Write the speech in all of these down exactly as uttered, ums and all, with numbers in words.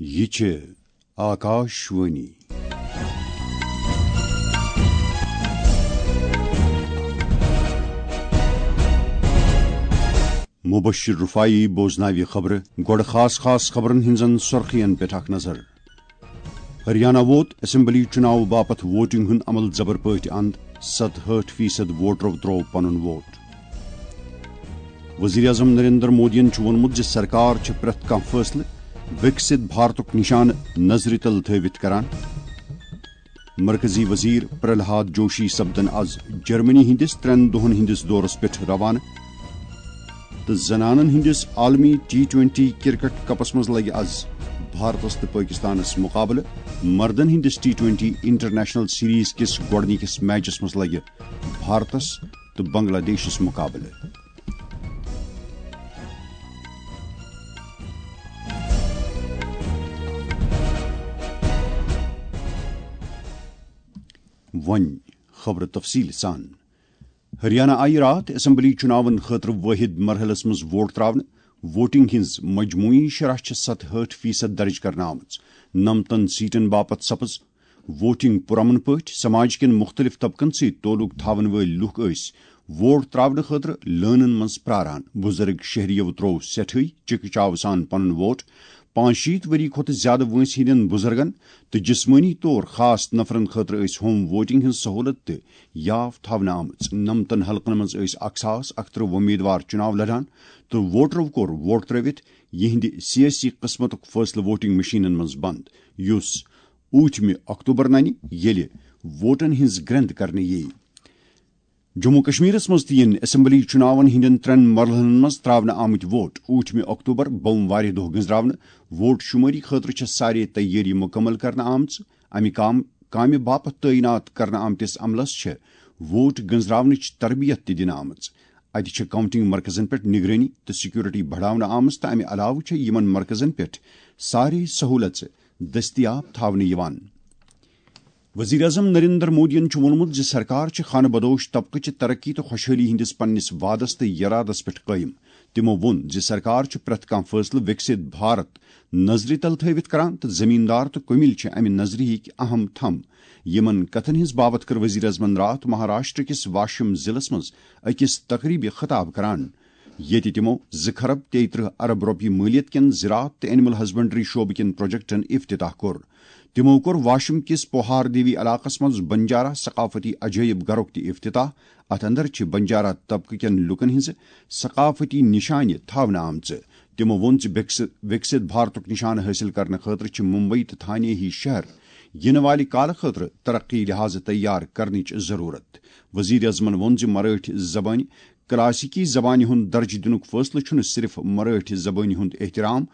یہِ چھِ آکاشوانی۔ مبشر رفاعی بوزناوِ خبرٕ۔ گۄڈٕ خاص خاص خبرن ہٕنٛزن سُرخین پٮ۪ٹھ اکھ نظر۔ ہریانہ ووت اسمبلی چُناو باپتھ ووٹنگ ہُنٛد عمل زبر پٲٹھۍ اند، ستہٲٹھ فیصد ووٹرو ترٛوو پنُن ووٹ۔ وزیر اعظم نریندر مودیَن چھُ ووٚنمُت زِ سرکار چھِ پرٛٮ۪تھ کانٛہہ فٲصلہٕ وِکسِت بھارتُک نِشانہٕ نظرِ تل تھٲوِتھ کران۔ مرکزی وزیر پرہلاد جوشی سپدن از جرمنی ہٕنٛدِس ترٛٮ۪ن دۄہن ہٕنٛدِس دورس پٮ۪ٹھ روانہٕ۔ تہٕ زنانن ہٕنٛدِس عالمی ٹی ٹوئنٹی کرکٹ کپس منٛز لگہِ از بھارتس تہٕ پٲکستانس مقابلہٕ۔ مردن ہٕنٛدِس ٹی ٹوئنٹی انٹرنیشنل سیریز کِس گۄڈٕنِکِس میچس منٛز لگہِ بھارتس تہٕ بنگلہ دیشس مقابلہٕ۔ وۄنۍ خبرٕ تفصیٖل سان۔ ہریانہ آیہِ راتھ اسمبلی چُناون خٲطرٕ وٲحد مرحلس منٛز ووٹ تراونہٕ۔ ووٹنگ ہٕنٛز مجموعی شرح چھِ ستہٲٹھ فیصد درج کرنہٕ آمٕژ۔ نمتن سیٹن باپتھ سپٕز ووٹنگ پُرامن پٲٹھۍ۔ سماج کٮ۪ن مُختٔلِف طبقن سۭتۍ تعلق تھاون وٲلۍ لوٗکھ ٲسۍ ووٹ تراونہٕ خٲطرٕ لٲنن منٛز پراران۔ بُزرگ شہریو ترٛوو سٮ۪ٹھٕے چِکہٕ چاوٕ سان پنُن ووٹ۔ پانٛژشیٖتھ ؤری کھۄتہٕ زیادٕ وٲنٛسہِ ہٕنٛدٮ۪ن بُزرگن تہٕ جسمٲنی طور خاص نفرن خٲطرٕ ٲسۍ ہوم ووٹنگ ہٕنٛز سہولت تہِ یاف تھاونہٕ آمٕژ۔ نمتن حلقن منٛز ٲسۍ اکھ ساس اکترٕہ وۄمیدوار چُناو لڑان تہٕ ووٹرو کوٚر ووٹ ترٲوِتھ یِہنٛدِ سیٲسی قٕسمتُک فٲصلہٕ ووٹنگ مشینن منٛز بنٛد، یُس ٲٹھمہِ اکتوبر ننہِ، ییٚلہِ ووٹن ہٕنٛز گرٛنٛد کرنہٕ یِیہِ۔ جموں کشمیرس منٛز تہِ یِن اسمبلی چُناون ہٕنٛدٮ۪ن ترٛٮ۪ن مرحلن منٛز تراونہٕ آمٕتۍ ووٹ۔ ٲٹھمہِ اکتوبر بوموارِ دۄہ گٔنزراونہٕ۔ ووٹ شُمٲری خٲطرٕ چھےٚ سارے تیٲری مُکمل کرنہٕ آمژٕ۔ امہِ کام، کامہِ باپتھ تعینات کرنہٕ آمتِس عملس چھےٚ ووٹ گٔنزراونٕچ تربیت تہِ دِنہٕ آمٕژ۔ اتہِ چھِ کاؤنٹنگ مرکزن پٮ۪ٹھ نگرٲنی تہٕ سیکورٹی بڑاونہٕ آمٕژ تہٕ امہِ علاوٕ چھےٚ یِمن مرکزن پٮ۪ٹھ سارے سہولژٕ دٔستیاب تھاونہٕ یِوان۔ وزیر اعظم نریندر مودیَن چھُ ووٚنمُت زِ سرکار چھِ خانہ بدوش طبقہٕ چہِ ترقی تہٕ خۄشحٲلی ہٕنٛدِس پننِس وعدس تہٕ یرادس پٮ۪ٹھ قٲیِم۔ تِمو ووٚن زِ سرکار چھُ پرٛٮ۪تھ کانٛہہ فٲصلہٕ وِکسِت بھارت نظرِ تل تھٲوِتھ کران تہٕ زمیٖندار تہٕ کُمِل چھِ امہِ نظرِ ہٕکۍ اہم تھم۔ یِمن کتھن ہٕنٛز باوتھ کٔر وزیر اعظمن راتھ مہاراشٹر کِس واشم ضلعس منٛز أکِس تقریبہِ خطاب کران، ییٚتہِ تِمو زٕ کھرب تیٚیہِ ترٕٛہ ارب رۄپیہِ مٲلیت کٮ۪ن زراعت تہٕ اینیمل ہسبنڈری شعبہٕ کٮ۪ن پروجیکٹن افتتاح کوٚر۔ تِمو کوٚر واشم کِس پوہار دیوی علاقس منٛز بنجارا ثقافتی عجٲیب گرُک تہِ افتتاح۔ اتھ اندر چھِ بنجارا طبقہٕ کٮ۪ن لوٗکن ہٕنٛزٕ ثقافتی نشانہِ تھاونہٕ آمژٕ۔ تِمو ووٚن زِ وِکس-، وِکسِت بھارتُک نشانہٕ حٲصِل کرنہٕ خٲطرٕ چھِ ممبئی تہٕ تھانے ہی شہر یِنہٕ والہِ کالہٕ خٲطرٕ ترقی لحاظہٕ تیار کرنٕچ ضروٗرت۔ وزیر اعظمن ووٚن زِ مرٲٹھۍ زبٲنۍ کلاسیکی زبانہِ ہُنٛد درجہٕ دِنُک فٲصلہٕ چھُنہٕ صرف مرٲٹھۍ زبٲنہِ ہُنٛد احترام،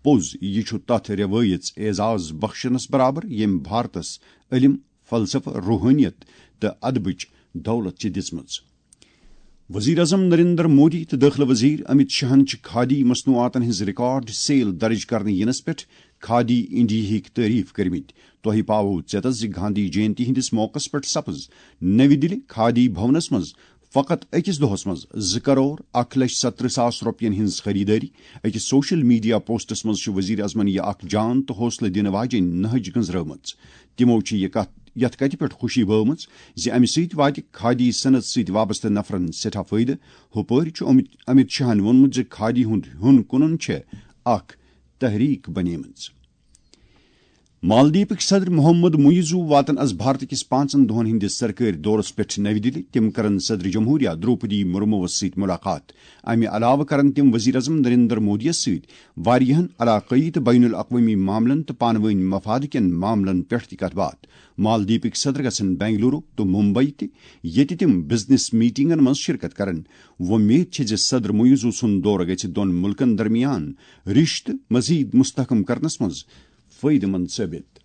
پوٚز، یہِ چھُ تتھ رٮ۪وٲیژ اعزاز بخشنس برابر، ییٚمۍ بھارتس علم، فلسفہٕ، روحٲنیت تہٕ ادبٕچ دولت چھِ دِژمٕژ۔ وزیر اعظم نریندر مودی تہٕ دٲخلہٕ وزیر امت شاہن چھِ کھادی مصنوعاتن ہٕنٛز ریکارڈ سیل درج کرنہٕ یِنس پٮ۪ٹھ کھادی انڈیاہٕکۍ تعریف کٔرمٕتۍ۔ تۄہہِ پاوو ژیتس زِ گاندھی جینتی ہٕنٛدِس موقعس پٮ۪ٹھ سپٕز نٔوِ دِلہِ کھادی بھونس منٛز فقط أکِس دۄہس منٛز زٕ کرور اکھ لچھ ستترٕہ ساس رۄپین ہٕنٛز خریدٲری۔ أکِس سوشل میڈیا پوسٹس منٛز چھِ وزیر اعظمن یہِ اکھ جان تہٕ حوصلہٕ دِنہٕ واجیٚنۍ نہج گٔنزرٲومٕژ۔ تِمو چھِ یہِ کتھ، یتھ کتھِ پٮ۪ٹھ خوشی بٲومٕژ زِ امہِ سۭتۍ واتہِ کھادی صنعت سۭتۍ وابستہٕ نفرن سٮ۪ٹھاہ فٲیدٕ۔ ہُپٲرۍ چھُ امت، امت شاہن ووٚنمُت زِ کھادی ہُنٛد ہیوٚن کٕنُن چھےٚ اکھ تحریک بنیمٕژ۔ مالدیپٕکۍ صدر محمد معیزو واتن از بھارت کِس پانٛژن دۄہن ہٕنٛدِس سرکٲرۍ دورس پٮ۪ٹھ نَوِ دِلہِ۔ تِم کرن صدر جمہوریہ درٛوپدی مرموٗوس سۭتۍ مُلاقات۔ امہِ علاوٕ کرن تِم وزیر اعظم نریندر مودیَس سۭتۍ واریاہن علاقٲیی تہٕ بین الاقوٲمی معاملن تہٕ پانہٕ وٲنۍ مفادٕ کٮ۪ن معاملن پٮ۪ٹھ تہِ کتھ باتھ۔ مالدیپٕکۍ صدر گژھن بنگلورو تہٕ ممبئی تہِ، ییٚتہِ تِم بزنس میٹنگن منٛز شرکت کرن۔ وۄمید چھِ زِ صدر معیزو سُنٛد دورٕ گژھِ دۄن مُلکن درمیان رشتہٕ مزید مستحکم کرنس منٛز فٲیدٕ مند ثٲبت۔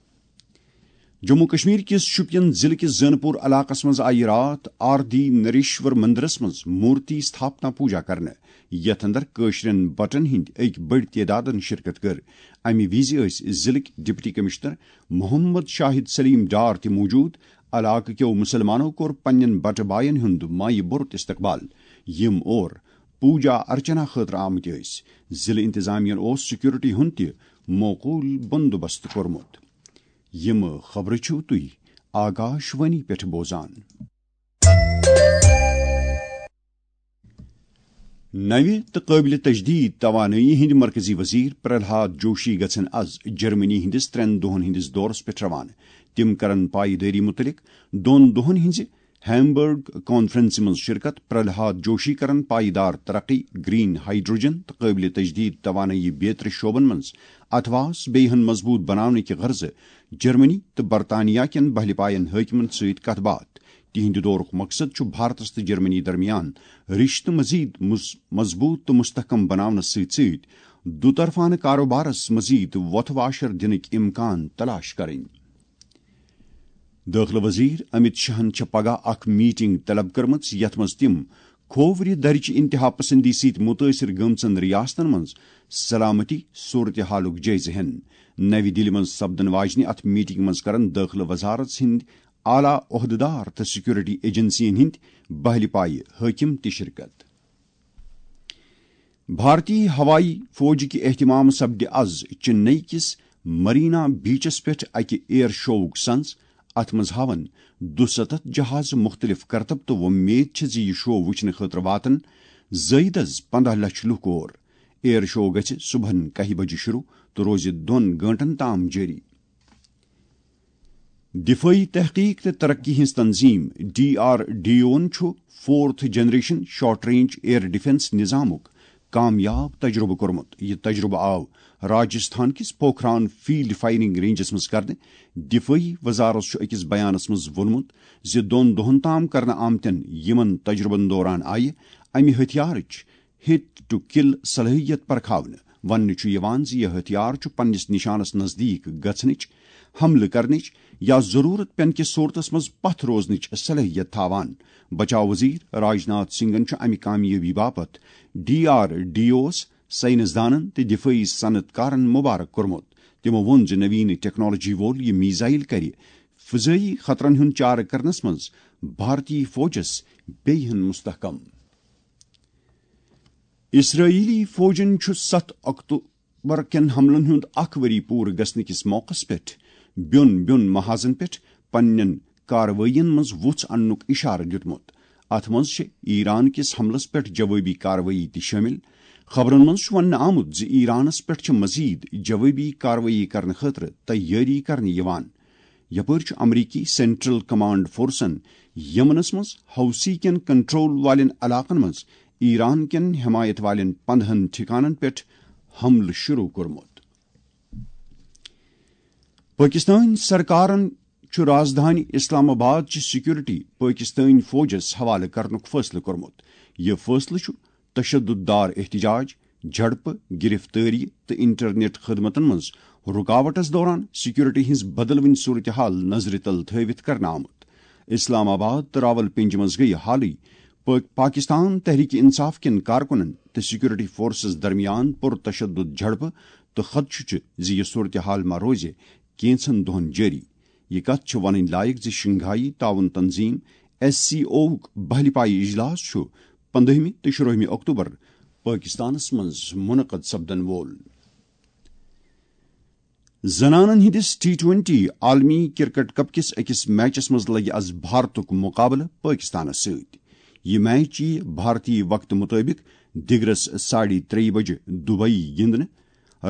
جموں کشمیر کِس شوپین ضلعہٕ کِس زینپور علاقس منٛز آیہِ راتھ آردی نریشور مندرس منٛز مورتی استھاپنا پوجا کرنہٕ، یتھ اندر کٲشرٮ۪ن بٹن ہٕنٛدۍ أکۍ بٔڑۍ تعدادن شرکت کٔر۔ امہِ وِزِ ٲسۍ ضلعٕکۍ ڈپٹی کمشنر محمد شاہد سلیم ڈار تہِ موجود۔ علاقہٕ کیو مسلمانو کوٚر پننٮ۪ن بٹہٕ باین ہُنٛد مایہِ بوٚرُت استقبال، یِم اور پوجا ارچنا خٲطرٕ آمٕتۍ ٲسۍ۔ ضلعہٕ انتظامیہن اوس سیکورٹی ہُنٛد تہِ موقول بندوبست کوٚرمُت۔ یِم خبرٕ چھِو تُہۍ آکاش وانی پٮ۪ٹھ بوزان۔ نوِ تہٕ قٲبلِ تجدید توانٲیی ہٕنٛدۍ مرکزی وزیر پرہلاد جوشی گژھن از جرمنی ہٕنٛدِس ترٛٮ۪ن دۄہن ہٕنٛدِس دورس پٮ۪ٹھ روانہٕ۔ تِم کرن پایدٲری مُتعلق دۄن دۄہن ہٕنٛزِ ہیمبرگ کانفرنسہِ منٛز شرکت۔ پرہلاد جوشی کرن پائیدار ترقی، گرین ہائیڈروجن تہٕ قٲبلِ تجدید توانٲیی بیترِ شعبن منٛز اتھواس بیٚیہِ ہن مضبوط بناونٕکہِ غرضہٕ جرمنی تہٕ برطانیہ کٮ۪ن بہلہِ پاین حٲکمن سۭتۍ کتھ باتھ۔ تِہنٛدِ دورُک مقصد چھُ بھارتس تہٕ جرمنی درمیان رشتہٕ مزید مز-، مضبوط تہٕ مستحکم بناونس سۭتۍ سۭتۍ دُطرفانہٕ کاروبارس مزید وۄتھٕ واشر دِنٕکۍ امکان تلاش کرٕنۍ۔ دٲخلہٕ وزیر امت شاہن چھےٚ پگاہ اکھ میٹنگ طلب کٔرمٕژ، یتھ منٛز تِم کھوورِ درِ چہِ انتہا پسندی سۭتۍ مُتٲثر گٔمژن ریاستن منٛز سلامتی صورتحالُک جٲیزٕ ہٮ۪ن۔ نوِ دِلہِ منٛز سپدن واجنہِ اتھ میٹنگہِ منٛز کرن دٲخلہٕ وزارت ہٕنٛدۍ اعلیٰ عہدٕدار تہٕ سیکورٹی ایجنسین ہٕنٛدۍ بہلہِ پایہِ حٲکم تہِ شرکت۔ بھارتی ہوایی فوجٕکہِ اہتمام سپدِ از چنئی کِس مرینا بیچس پٮ۪ٹھ اکہِ ایئر شووُک سنز۔ اتھ منٛز ہاون دُستتھ جہاز مختلف کرتب تہٕ وۄمید چھِ زِ یہِ شو وٕچھنہٕ خٲطرٕ واتن زٲیدٕ از پندہ لچھ لوٗکھ اور۔ ایئر شو گژھِ صبحن کاہہِ بجہِ شروع تہٕ روزِ دۄن گٲنٹن تام جٲری۔ دفٲعی تحقیق تہٕ ترقی ہٕنٛز تنظیم ڈی آر ڈی اوَن چھُ fourth generation short range air defence نظامُک کامیاب تجربہٕ کوٚرمُت۔ یہِ تجربہٕ آو راجستھان کِس پوکھران فیلڈ فائرنگ رینجس منٛز کرنہٕ۔ دفٲعی وزارت چھُ أکِس بیانس منٛز ووٚنمُت زِ دۄن دۄہَن تام کرنہٕ آمتٮ۪ن یِمَن تجربن دوران آیہِ اَمہِ ہتھیارٕچ ہٹ ٹو کل صلٲحیت پرکھاونہٕ۔ وننہٕ چھُ یِوان زِ یہِ ہتھیار چھُ پننِس نشانس نزدیک گژھنٕچ، حملہٕ کرنٕچ یا ضرورت پٮ۪ن کِس صورتس منٛز پتھ روزنٕچ صلٲحیت تھاوان۔ بچاو وزیر راجناتھ سنگھن چھُ امہِ کامیٲبی باپتھ ڈی آر ڈی اوَس، سائنسدانن تہٕ دفٲعی صنعت کارن مبارک کوٚرمُت۔ تِمو ووٚن زِ نوین ٹیکنالوجی وول یہِ میزائل کرِ فضٲیی خطرن ہُنٛد چارٕ کرنس منٛز بھارتی فوجس بیٚیہِ ہن مستحکم۔ اسرائیلی فوجن چھُ ستھ اکتوبر کٮ۪ن حملن ہُنٛد اکھ ؤری پوٗرٕ گژھنہٕ کِس موقعس پٮ۪ٹھ بیوٚن بیوٚن محاذن پٮ۪ٹھ پننٮ۪ن کاروٲیین منٛز وُژھ اننُک اشارٕ دیُتمُت۔ اتھ منٛز چھِ ایران کِس حملس پٮ۪ٹھ جوٲبی کاروٲیی تہِ شٲمِل۔ خبرن منٛز چھُ وننہٕ آمُت زِ ایرانس پٮ۪ٹھ چھِ مزید جوٲبی کاروٲیی کرنہٕ خٲطرٕ تیٲری کرنہٕ یِوان۔ یپٲرۍ چھُ امریکی سینٹرل کمانڈ فورسن یمنس منٛز حوثی کٮ۪ن کنٹرول والٮ۪ن علاقن منٛز ایران کٮ۪ن حمایت والٮ۪ن پندہن ٹھکانن پٮ۪ٹھ حملہٕ شروع کوٚرمُت۔ پٲکِستٲنۍ سرکارن چھُ رازدھانی اسلام آباد چہِ سیکورٹی پٲکِستٲنۍ فوجس حوالہٕ کرنُک فٲصلہٕ کوٚرمُت۔ یہِ فٲصلہٕ چھُ تشدد دار احتجاج، جھڑپہٕ، گرفتٲری تہٕ انٹرنیٹ خدمتن منٛز رکاوٹس دوران سیکورٹی ہٕنٛز بدلوٕنۍ صورتحال نظرِ تل تھٲوِتھ کرنہٕ آمُت۔ اسلام آباد تہٕ راولپنڈی منٛز گٔیہِ حالٕے پٲ-، پاکستان تحریک انصاف کٮ۪ن کارکنن تہٕ سیکورٹی فورسز درمیان پُر تشدد جھڑپہٕ تہٕ خدشہٕ چھُ زِ یہِ صورتحال ما روزِ کینژن دۄہن جٲری۔ یہِ کتھ چھِ ونٕنۍ لایق زِ شنگھائی تعاون تنظیم، ایس سی اوُک بہلہِ پایہِ اجلاس چھُ پندہمہِ تہٕ شُرٲہمہِ اکتوبر پٲکستانس منٛز منعقد سپدن وول۔ زنانن ہٕنٛدِس ٹی ٹوئنٹی عالمی کرکٹ کپ کِس أکِس میچس منٛز لگہِ از بھارتُک مقابلہٕ پٲکستانس سۭتۍ۔ یہِ میچ یِیہِ بھارتی وقتہٕ مُطٲبِق دِگرس ساڑِ ترٛیٚیہِ بجہِ دُبیی گِنٛدنہٕ۔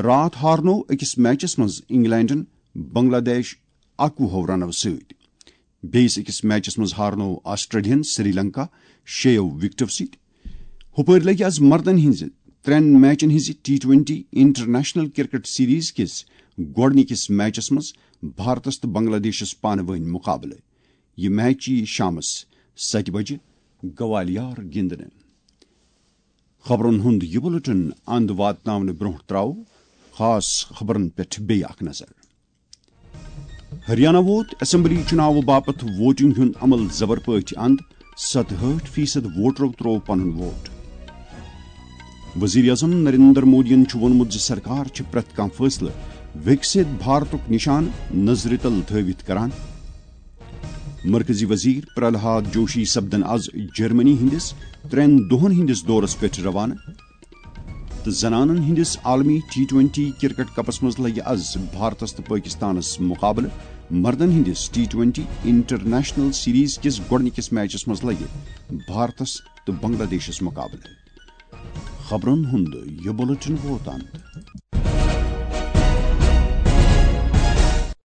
راتھ ہارنوو أکِس میچس منٛز انگلینڈن بنگلہ دیش اکوُہو رنو سۭتۍ۔ بیٚیِس أکِس میچس منٛز ہارنوو آسٹریلیاہن سری لنکا شیٚیو وکٹو سۭتۍ۔ ہُپٲرۍ لگہِ از مردن ہٕنٛزِ ترٛٮ۪ن میچن ہٕنٛزِ T twenty international cricket series کِس گۄڈٕنِکِس میچس منٛز بھارتس تہٕ بنگلہ دیشس پانہٕ وٲنۍ مقابلہٕ۔ یہِ میچ یِیہِ شامس ستہِ بجہِ گوالیار گِنٛدنہٕ۔ خبرن ہُنٛد یہِ بُلٹن اند واتناونہٕ برٛونٛہہ ترٛاوو خاص خبرن پٮ۪ٹھ بیٚیہِ اکھ نظر۔ ہریانہ ووت اسمبلی چُناوٕ باپتھ ووٹنگ ہُنٛد عمل زبر پٲٹھۍ اند، ستہٲٹھ فیصد ووٹرو ترٛوو پنُن ووٹ۔ وزیر اعظم نریندر مودیَن چھُ ووٚنمُت زِ سرکار چھِ پرٛٮ۪تھ کانٛہہ فٲصلہٕ وِکسِت بھارتُک نِشان نظرِ تل تھٲوِتھ کران۔ مرکزی وزیر پرہلاد جوشی سپدن از جرمنی ہٕنٛدِس ترٛٮ۪ن دۄہن ہٕنٛدِس دورس پٮ۪ٹھ روانہٕ۔ زنانن ہٕنٛدِس عالمی ٹی ٹوئنٹی کرکٹ کپس منٛز لگہِ از بھارتس تہٕ پٲکستانس مقابلہٕ۔ مردن ہٕنٛدِس ٹی ٹوئنٹی انٹرنیشنل سیریز کِس گۄڈٕنِکِس میچس منٛز لگہِ بھارتس تہٕ بنگلہ دیشس مقابلہٕ۔ خبرن ہُنٛد یہِ بُلٹن ووت اند۔